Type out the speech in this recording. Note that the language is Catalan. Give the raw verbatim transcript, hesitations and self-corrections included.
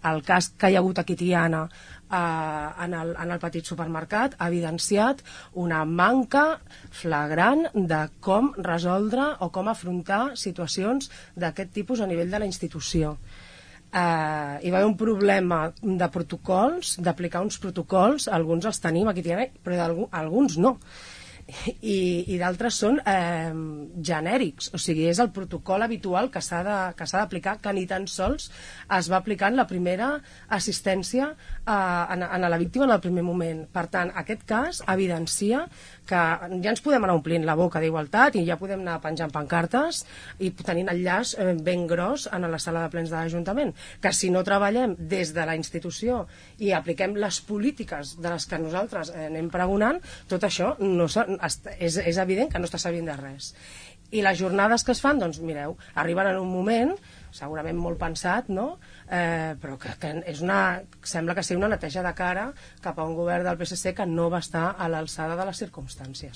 el cas que hi ha hagut aquí a Tiana en el, en el petit supermercat ha evidenciat una manca flagrant de com resoldre o com afrontar situacions d'aquest tipus a nivell de la institució. Uh, hi va haver un problema de protocols, d'aplicar uns protocols, alguns els tenim aquí a Tiana, però alguns no. i, i d'altres són eh, genèrics, o sigui, és el protocol habitual que s'ha de, que s'ha d'aplicar, que ni tan sols es va aplicar en la primera assistència eh, a, a la víctima en el primer moment. Per tant, aquest cas evidencia que ja ens podem anar omplint la boca d'igualtat i ja podem anar penjant pancartes i tenint el llaç eh, ben gros en la sala de plens de l'Ajuntament, que si no treballem des de la institució i apliquem les polítiques de les que nosaltres eh, anem pregonant, tot això no és, és evident que no està servint de res. I les jornades que es fan, doncs mireu, arriben en un moment segurament molt pensat, no? Eh, però que, que és una, sembla que sigui una neteja de cara cap a un govern del P S C que no va estar a l'alçada de les circumstàncies.